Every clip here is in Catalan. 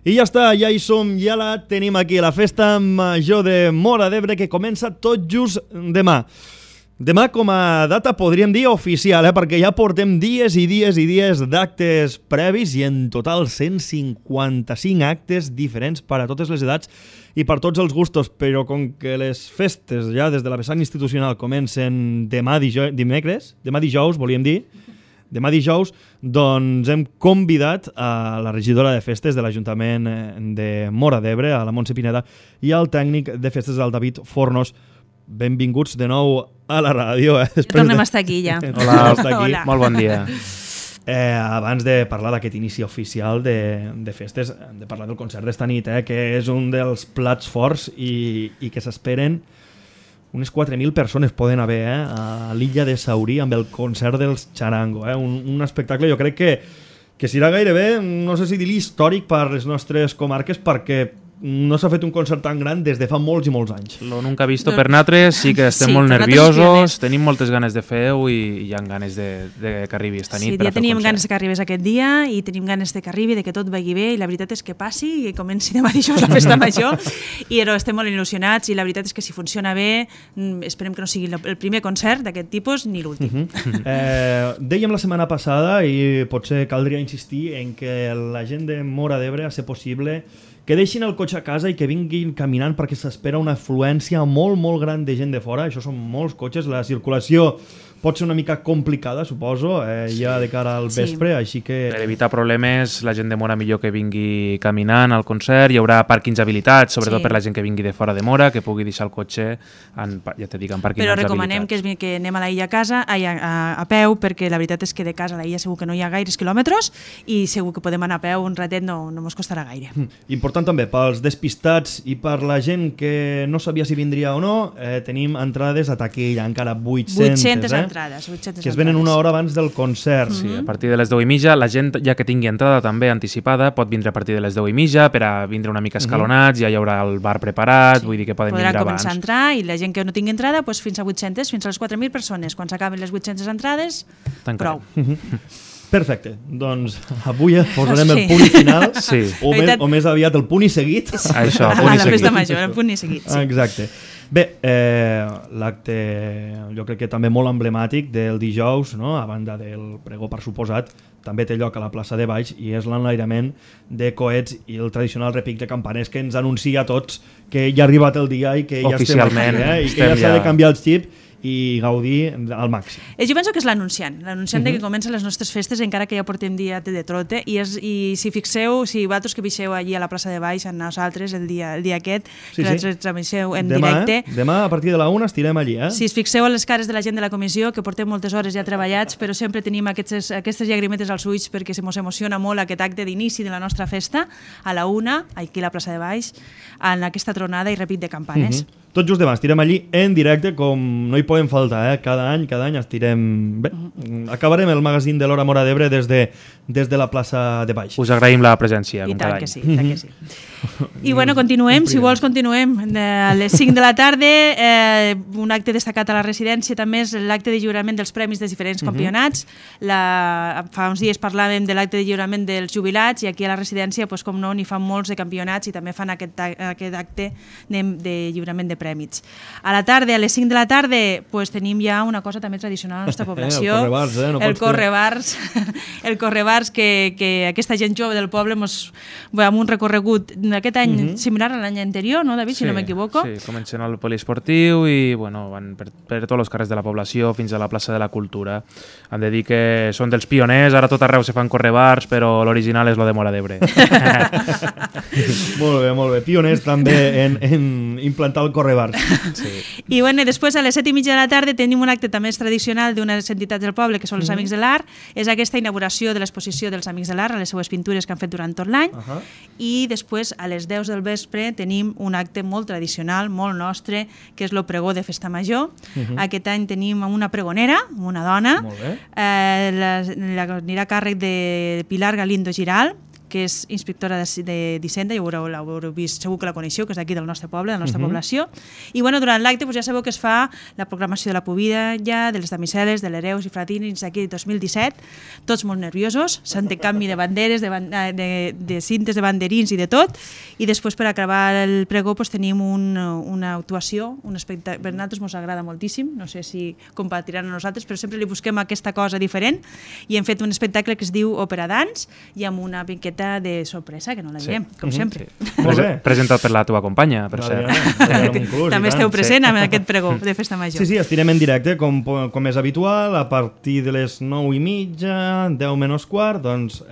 I ja està, ja hi som, ja la tenim aquí, la festa major de Móra d'Ebre, que comença tot just demà. Demà com a data podríem dir oficial, perquè ja portem dies i dies i dies d'actes previs i en total 155 actes diferents per a totes les edats i per tots els gustos, però com que les festes ja des de la vessant institucional comencen demà dijous, volíem dir, demà dijous, doncs hem convidat a la regidora de festes de l'Ajuntament de Móra d'Ebre, a la Montse Pineda, i al tècnic de festes, el David Fornos. Benvinguts de nou a la ràdio. Tornem a estar aquí ja. Hola, molt bon dia. Abans de parlar d'aquest inici oficial de festes, hem de parlar del concert d'esta nit, que és un dels plats forts i que s'esperen unes 4.000 persones poden haver a l'illa de Saurí amb el concert dels Charango. Un espectacle, jo crec que serà gairebé, no sé si dir-li històric per les nostres comarques, perquè no s'ha fet un concert tan gran des de fa molts i molts anys. Lo nunca visto per nosaltres, sí que estem molt nerviosos, tenim moltes ganes de fer-ho i hi ha ganes de que arribi esta nit per a fer el concert. Sí, ja teníem ganes que arribés aquest dia i tenim ganes de que arribi, de que tot vagi bé, i la veritat és que passi i comenci demà dijous la festa major, i estem molt il·lusionats i la veritat és que si funciona bé, esperem que no sigui el primer concert d'aquest tipus ni l'últim. Dèiem la setmana passada, i potser caldria insistir en que la gent de Móra d'Ebre, a ser possible, que deixin el cotxe a casa i que vinguin caminant, perquè s'espera una afluència molt, molt gran de gent de fora. Això són molts cotxes, la circulació pot ser una mica complicada, suposo, ja de cara al vespre, així que... Per evitar problemes, la gent de Móra millor que vingui caminant al concert, hi haurà pàrquings habilitats, sobretot per la gent que vingui de fora de Móra, que pugui deixar el cotxe, ja te dic, en pàrquings habilitats. Però recomanem que anem a la illa a peu, perquè la veritat és que de casa a la illa segur que no hi ha gaires quilòmetres i segur que podem anar a peu un ratet, no ens costarà gaire. Important també, pels despistats i per la gent que no sabia si vindria o no, tenim entrades a taquilla, encara 800 entrades, que es venen una hora abans del concert. Sí, a partir de les 10:30, la gent ja que tingui entrada també anticipada pot vindre a partir de les 10:30 per a vindre una mica escalonats, ja hi haurà el bar preparat, vull dir que poden vindre abans. Podran començar a entrar i la gent que no tingui entrada fins a 800, fins a les 4.000 persones. Quan s'acaben les 800 entrades, prou. Perfecte, doncs avui posarem el punt final, o més aviat el punt i seguit. Això, el punt i seguit. A la festa major, el punt i seguit. Exacte. Bé, l'acte jo crec que també molt emblemàtic del dijous, a banda del pregó per suposat, també té lloc a la plaça de Baix i és l'enlairament de coets i el tradicional repic de campanes que ens anuncia a tots que ja ha arribat el dia i que ja estem aquí, i que ja s'ha de canviar el xip i gaudir al màxim. Jo penso que és l'anunciant de que comencen les nostres festes, encara que ja portem dia de trote, i si fixeu, si vosaltres que veixeu allí a la plaça de Baix, amb nosaltres el dia aquest, que vosaltres transmisseu en directe. Demà a partir de la 1 estirem allí. Si us fixeu a les cares de la gent de la comissió, que portem moltes hores ja treballats, però sempre tenim aquestes llagrimetes als ulls perquè se mos emociona molt aquest acte d'inici de la nostra festa, a la 1, aquí a la plaça de Baix, en aquesta tronada i repic de campanes. Tot just demà estirem allí en directe, com no hi podem faltar, cada any estirem... Bé, acabarem el magazín de l'Hora Móra d'Ebre des de la plaça de Baix. Us agraïm la presència, com cada any. I tant que sí. I bueno, continuem, si vols continuem. A les 5 de la tarda, un acte destacat a la residència també és l'acte de lliurament dels premis dels diferents campionats. Fa uns dies parlàvem de l'acte de lliurament dels jubilats i aquí a la residència, com no, n'hi fan molts de campionats i també fan aquest acte de lliurament de prèmits. A la tarda, a les 5 de la tarda, tenim ja una cosa també tradicional a la nostra població. El correbars, que aquesta gent jove del poble amb un recorregut aquest any similar a l'any anterior, no, David, si no m'equivoco? Sí, comencen al poliesportiu i van per tots els carrers de la població fins a la plaça de la Cultura. Hem de dir que són dels pioners, ara tot arreu se fan correbars, però l'original és lo de Móra d'Ebre. Molt bé. Pioners també en implantar el correbars. I després a les 7:30 de la tarda tenim un acte també tradicional d'unes entitats del poble que són els Amics de l'Art. És aquesta inauguració de l'exposició dels Amics de l'Art, a les seues pintures que han fet durant tot l'any. I després a les 10 del vespre tenim un acte molt tradicional, molt nostre, que és el pregó de Festa Major. Aquest any tenim una pregonera, una dona, anirà a càrrec de Pilar Galindo Giral, que és inspectora d'Hisenda, ja l'haureu vist, segur que la coneixeu, que és d'aquí del nostre poble, de la nostra població. I durant l'acte ja sabeu que es fa la proclamació de la Pobilla, de les damisel·les, de l'Hereus i Fratines d'aquí 2017, tots molt nerviosos, s'intercanvi de banderes, de cintes, de banderins i de tot, i després per acabar el pregó tenim una actuació, un espectacle, per nosaltres ens agrada moltíssim, no sé si compartiran a nosaltres, però sempre li busquem aquesta cosa diferent, i hem fet un espectacle que es diu Òpera Dans, i amb una miqueta de sorpresa, que no la direm, com sempre. Presentat per la teva companya, per cert. També esteu present en aquest pregó de Festa Major. Sí, estirem en directe, com és habitual, a partir de les 9:30, 10 menys quart, doncs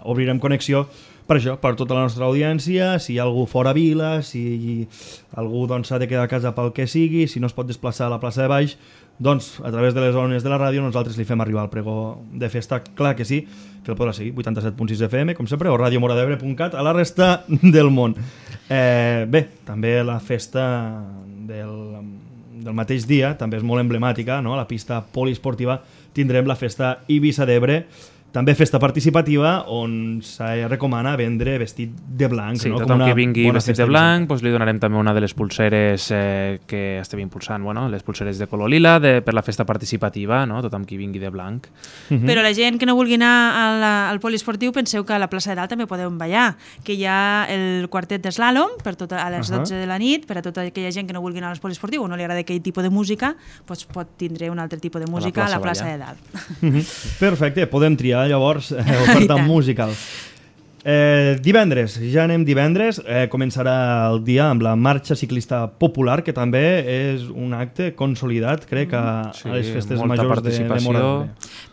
obrirem connexió per això, per tota la nostra audiència, si hi ha algú fora vila, si algú s'ha de quedar a casa pel que sigui, si no es pot desplaçar a la plaça de Baix, doncs a través de les ones de la ràdio nosaltres li fem arribar el pregó de festa, clar que sí, que el podrà seguir, 87.6 FM, com sempre, o radiomoradebre.cat, a la resta del món. Bé, també la festa del mateix dia, també és molt emblemàtica, no? A la pista poliesportiva tindrem la festa Eivissa d'Ebre, també festa participativa on se recomana vendre vestit de blanc. Sí, tothom que vingui vestit de blanc li donarem també una de les pulseres que estem impulsant, les pulseres de color lila per la festa participativa, tothom que vingui de blanc. Però la gent que no vulgui anar al poliesportiu, penseu que a la plaça de Dalt també podeu ballar, que hi ha el quartet d'eslàlom a les 12 de la nit, per a tota aquella gent que no vulgui anar al poliesportiu o no li agrada aquell tipus de música, pot tindre un altre tipus de música a la plaça de Dalt. Perfecte, podem triar llavors oferta musical. Divendres, ja anem divendres, començarà el dia amb la marxa ciclista popular, que també és un acte consolidat, crec, a les festes majors de Móra.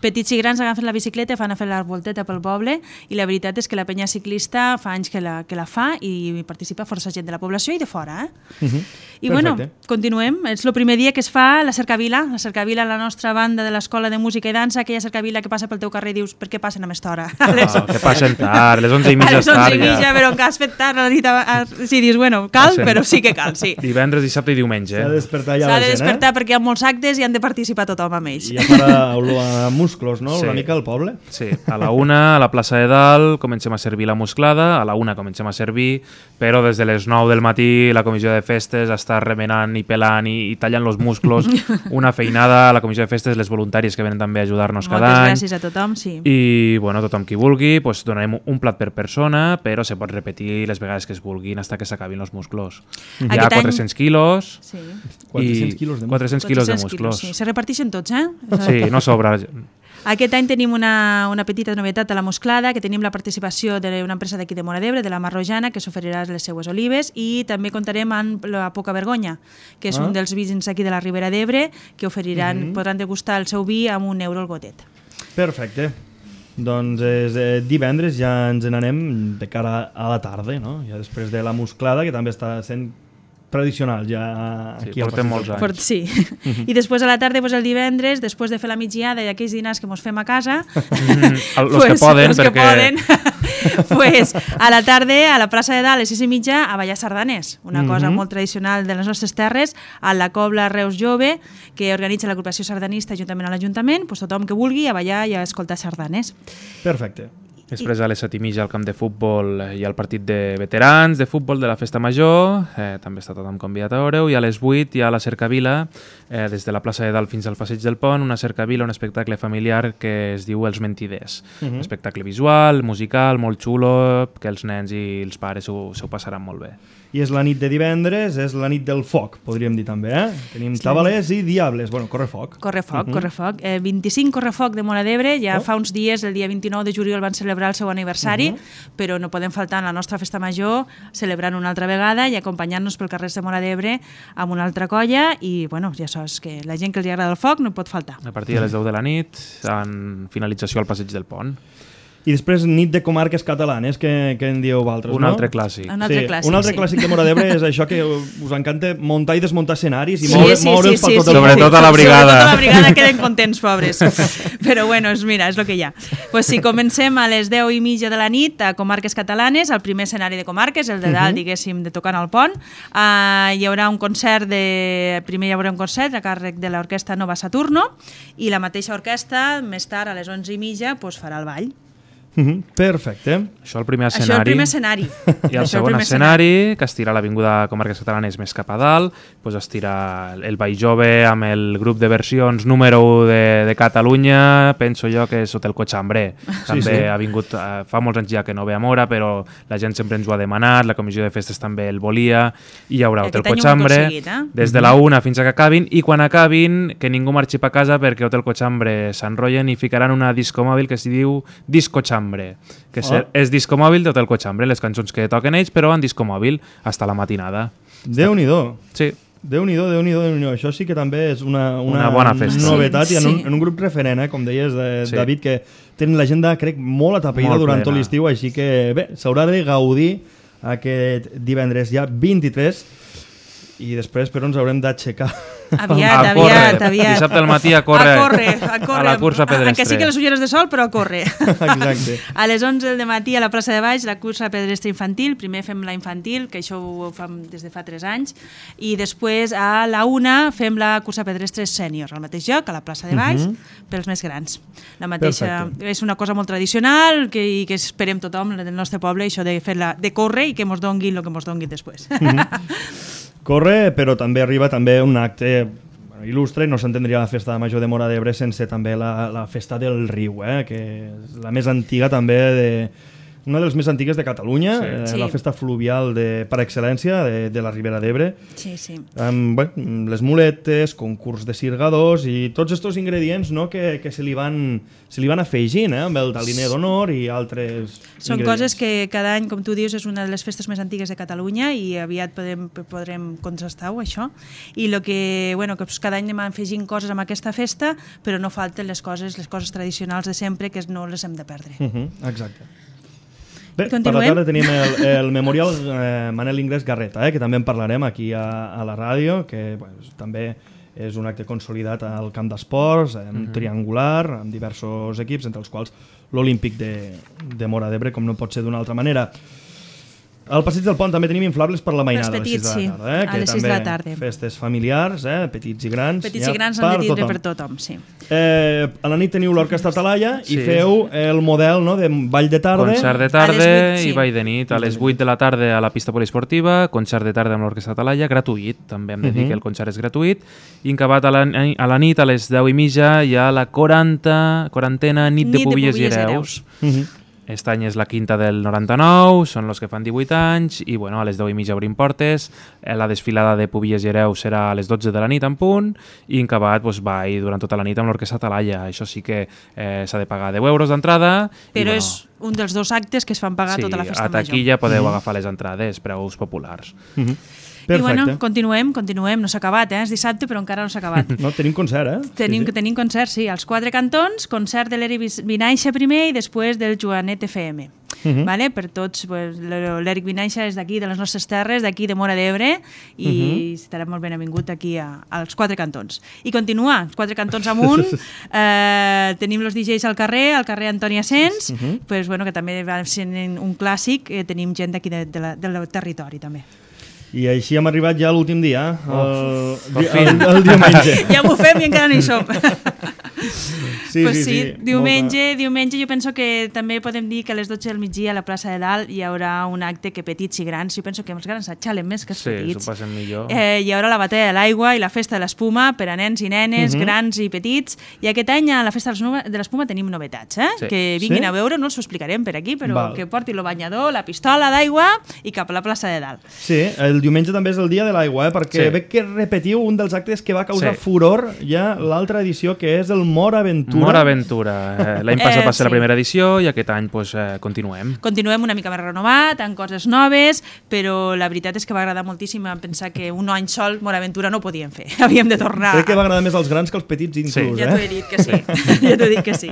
Petits i grans agafen la bicicleta, fan a fer la volteta pel poble, i la veritat és que la penya ciclista fa anys que la fa i participa força gent de la població i de fora. I bueno, continuem. És el primer dia que es fa la cercavila. La cercavila, la nostra banda de l'Escola de Música i Dansa, aquella cercavila que passa pel teu carrer i dius, per què passen a més hora? Que passen tard, les 11:30 a les 11:30, però que has fet tard a la nit. Sí, dius, bueno, cal, però sí que cal, sí. Divendres, dissabte i diumenge. S'ha de despertar ja la gent. S'ha de despertar perquè hi ha molts actes i han de participar tothom amb ells. I ja farà olor a musclos, no? Una mica al poble. Sí, a la 1 a la plaça de Dalt comencem a servir la musclada, a la 1 comencem a servir, però des de les 9 del matí la comissió de festes està remenant i pelant i tallant els musclos. Una feinada a la comissió de festes, les voluntàries que venen també a ajudar-nos cada any. Moltes gràcies a tothom, sí. I, bueno, tothom qui vulgui, donarem un plat per persona, però se pot repetir les vegades que es vulguin fins que s'acabin els musclos. Hi ha 400 quilos. Sí. 400 quilos de musclos. Sí. Se reparteixen tots, Sí, no sobra. Aquest any tenim una petita novetat a la musclada, que tenim la participació d'una empresa d'aquí de Móra d'Ebre, de la Marrojana, que s'oferirà les seues olives, i també comptarem amb la Poca Vergonya, que és un dels vins aquí de la Ribera d'Ebre, que podran degustar el seu vi amb €1 el gotet. Perfecte. Doncs divendres ja ens n'anem de cara a la tarda, no? Ja després de la musclada, que també està sent tradicional ja aquí al portem molts anys. Sí. I després a la tarda, el divendres, després de fer la migdiada i aquells dinars que mos fem a casa, els que poden, a la tarda, a la plaça de Dalt, a les 6:30, a ballar sardanes, una cosa molt tradicional de les nostres terres, a la Cobla Reus Jove, que organitza l'agrupació sardanista juntament a l'Ajuntament, tothom que vulgui a ballar i a escoltar sardanes. Perfecte. Després a les 7:30 al camp de futbol hi ha el partit de veterans de futbol de la Festa Major, també està tothom convidat a veure-ho, i a les 8 hi ha la cercavila, des de la plaça de Dalt fins al passeig del Pont, una cercavila, un espectacle familiar que es diu Els Mentiders. Un espectacle visual, musical, molt xulo, que els nens i els pares s'ho passaran molt bé. I és la nit de divendres, és la nit del foc, podríem dir també, Tenim tabalers i diables, correfoc. Correfoc. 25 correfoc de Móra d'Ebre, ja fa uns dies, el dia 29 de juliol van celebrar el seu aniversari, però no podem faltar en la nostra festa major celebrant una altra vegada i acompanyant-nos pel carrer de Móra d'Ebre amb una altra colla, i ja saps que la gent que els agrada el foc no pot faltar. A partir de les 10 de la nit, en finalització al passeig del Pont. I després nit de comarques catalanes, que en dieu vosaltres, un altre clàssic. Un altre clàssic de Móra d'Ebre és això que us encanta, muntar i desmuntar escenaris i moure'ls per tot el món. Sobretot a la brigada. Sobretot a la brigada queden contents, pobres. Però bueno, mira, és el que hi ha. Si comencem a les 10:30 de la nit a Comarques Catalanes, el primer escenari de comarques, el de Dalt, diguéssim, de tocant al pont, hi haurà un concert primer hi haurà un concert a càrrec de l'orquestra Nova Saturno, i la mateixa orquestra, més tard, a les 11:30, farà el ball. Perfecte. Això el primer Això el primer escenari. I el segon escenari, que estira l'Avinguda Comarques Catalanes més cap a dalt, doncs estira el Ball Jove amb el grup de versions número 1 de Catalunya, penso jo que és Hotel Cochambre. També ha vingut, fa molts anys ja que no ve a Mora, però la gent sempre ens ho ha demanat, la comissió de festes també el volia, i hi haurà Hotel Cochambre des de la 1 fins a que acabin, i quan acabin que ningú marxi pa casa perquè Hotel Cochambre s'enrotllen i ficaran una discomòbil que s'hi diu Disco Chambre, que és discomòbil d'Hotel Cochambre, les cançons que toquen ells, però en discomòbil hasta la matinada. Déu-n'hi-do. Sí. Déu-n'hi-do. Això sí que també és una bona festa. Novetat, i en un grup referent, com deies, David, que tenen l'agenda, crec, molt atapeïda durant tot l'estiu, així que bé, s'haurà de gaudir aquest divendres ja 23, i després però ens haurem d'aixecar. Aviat. Dissabte al matí a córrer. A la cursa pedestre. Que sí que les ulleres de sol, però a córrer. Exacte. A les 11 del matí a la plaça de Baix, la cursa pedestre infantil. Primer fem la infantil, que això ho fem des de fa 3 anys, i després a la 1 fem la cursa pedestre sènior, al mateix lloc, a la plaça de Baix, pels més grans. La mateixa. És una cosa molt tradicional i que esperem tothom del nostre poble, això de córrer i que mos donguin el que mos donguin després. Corre, però també arriba també un acte il·lustre, no s'entendria la festa major de Móra d'Ebre sense també la festa del riu, que és la més antiga també, una de les més antigues de Catalunya, la festa fluvial per excel·lència de la Ribera d'Ebre. Amb les muletes, concurs de sirgadors i tots aquests ingredients que se li van afegint, amb el taliner d'honor i altres Són coses que cada any, com tu dius, és una de les festes més antigues de Catalunya i aviat podrem contrastar-ho, això. I que cada any anem afegint coses amb aquesta festa, però no falten les coses tradicionals de sempre, que no les hem de perdre. Exacte. Bé, per la tarda tenim el Memorial Manel Ingrés Garreta, que també en parlarem aquí a la ràdio, que també és un acte consolidat al camp d'esports, triangular, amb diversos equips, entre els quals l'Olímpic de Móra d'Ebre, com no pot ser d'una altra manera. Al Passeig del Pont també tenim inflables per la mainada a les 6 de la tarda. A les 6 de la tarda. Festes familiars, petits i grans. Petits i grans han de tindre per tothom, sí. A la nit teniu l'Orquestra Talaia i feu el model de ball de tarda. Concert de tarda i ball de nit. A les 8 de la tarda a la pista poliesportiva, concert de tarda amb l'Orquestra Talaia, gratuït. També hem de dir que el concert és gratuït. I acabat a la nit, a les 10:30, hi ha la 40ena nit de Pubilles i Hereus. Aquest any és la quinta del 99, són els que fan 18 anys, i a les 10:30 obrim portes. La desfilada de Pubilles i Hereus serà a les 12 de la nit en punt, i en acabat ball durant tota la nit amb l'Orquestra Talaia. Això sí que s'ha de pagar 10 euros d'entrada. Però és un dels 2 actes que es fan pagar tota la festa major. A taquilla podeu agafar les entrades, preus populars. Perfecte. I continuem, no s'ha acabat, és dissabte però encara no s'ha acabat. No, tenim concert, Tenim concert, sí, als 4 cantons, concert de l'Eric Vinaixa primer i després del Joanet FM. Per tots, l'Eric Vinaixa és d'aquí, de les nostres terres, d'aquí de Móra d'Ebre, i estarà molt benvingut aquí als 4 cantons. I continua, els 4 cantons amunt, tenim els DJs al carrer Antoni Asens, que també va ser un clàssic, tenim gent d'aquí del territori també. I així hem arribat ja a l'últim dia, el diumenge. Ja ho fem i encara no hi som. Sí. Diumenge jo penso que també podem dir que a les 12 del migdia a la plaça de Dalt hi haurà un acte que petits i grans, jo penso que els grans s'atxalen més que els petits. Sí, s'ho passen millor. Hi haurà la batalla de l'aigua i la festa de l'espuma per a nens i nenes, grans i petits, i aquest any a la festa de l'espuma tenim novetats, que vinguin a veure, no els ho explicarem per aquí, però que portin el banyador, la pistola d'aigua i cap a la plaça de Dalt. Sí, el diumenge també és el dia de l'aigua, perquè veig que repetiu un dels actes que va causar furor ja l'altra edició, que és el Móra Aventura. Móra Aventura. L'any passat va ser la primera edició i aquest any continuem. Continuem una mica més renovat, amb coses noves, però la veritat és que va agradar moltíssim pensar que un any sol Móra Aventura no podíem fer. Havíem de tornar. Crec que va agradar més als grans que als petits inclús. Ja t'ho he dit que sí.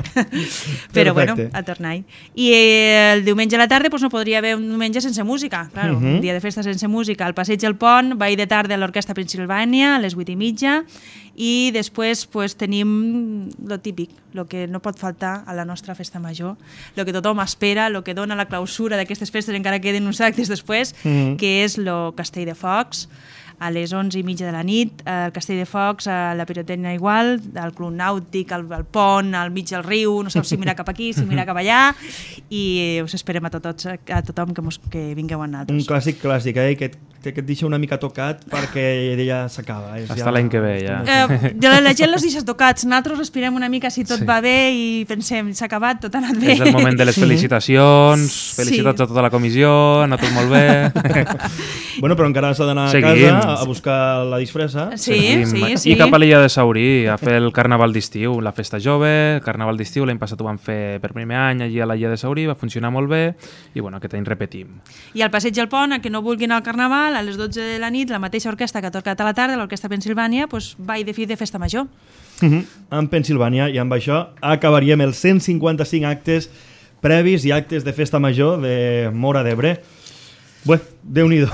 Però a tornar-hi. I el diumenge a la tarda no podria haver un diumenge sense música. Claro, un dia de festa sense música. Al Passeig del Pont, ball de tarda a l'Orquestra Pensilvània a les 8:30, i després tenim lo típic, el que no pot faltar a la nostra festa major, el que tothom espera, el que dona la clausura d'aquestes festes, encara queden uns actes després, que és el Castell de Focs, a les 11:30 de la nit, al Castell de Focs, a la Pirotècnia igual, al Club Nàutic, al pont, al mig del riu, no saps si mirar cap aquí, si mirar cap allà, i us esperem a tothom que vingueu a nosaltres. Un clàssic, que et deixa una mica tocat perquè ja s'acaba. Hasta l'any que ve, ja. La gent els deixa tocats, nosaltres respirem una mica si tot va bé i pensem, s'ha acabat, tot ha anat bé. És el moment de les felicitacions, felicitats a tota la comissió, ha anat tot molt bé. Bueno, però encara s'ha d'anar a casa a buscar la disfressa. Sí. I cap a l'illa de Saurí a fer el carnaval d'estiu, la festa jove, el carnaval d'estiu, l'any passat ho vam fer per primer any allí a l'illa de Saurí, va funcionar molt bé i bueno, aquest any repetim. I al Passeig del Pont, a que no vulguin al carnaval, a les 12 de la nit, la mateixa orquestra que ha tocat a la tarda, l'Orquestra Pensilvània, va i de fi de festa major. En Pensilvània, i amb això acabaríem els 155 actes previs i actes de festa major de Móra d'Ebre. Bé, Déu-n'hi-do.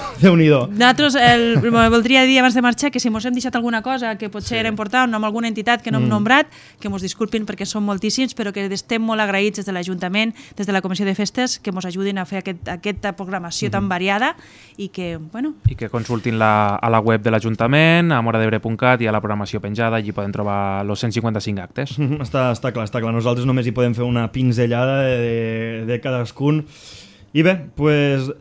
Nosaltres voldria dir abans de marxar que si mos hem deixat alguna cosa que potser era important, amb alguna entitat que no hem nombrat, que mos disculpin perquè són moltíssims, però que estem molt agraïts des de l'Ajuntament, des de la Comissió de Festes, que mos ajudin a fer aquesta programació tan variada i que, bueno... I que consultin a la web de l'Ajuntament, a moradebre.cat, i a la programació penjada, allí poden trobar els 155 actes. Està clar. Nosaltres només hi podem fer una pinzellada de cadascun. I bé, pues,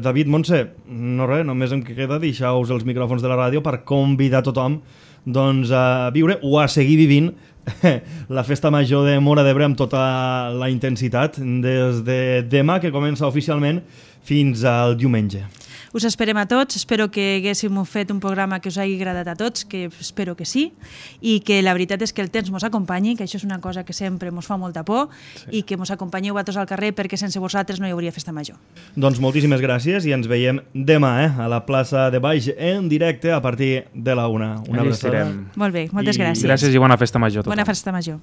David, Montse, no res, només em queda deixar-vos els micròfons de la ràdio per convidar tothom doncs, a viure o a seguir vivint la festa major de Móra d'Ebre amb tota la intensitat des de demà, que comença oficialment, fins al diumenge. Us esperem a tots, espero que haguéssim fet un programa que us hagi agradat a tots, que espero que sí, i que la veritat és que el temps mos acompanyi, que això és una cosa que sempre mos fa molta por, i que mos acompanyeu a tots al carrer perquè sense vosaltres no hi hauria festa major. Doncs moltíssimes gràcies i ens veiem demà a la plaça de Baix en directe a partir de la 1. Una abraçada. Molt bé, moltes gràcies. Gràcies i bona festa major a tothom. Bona festa major.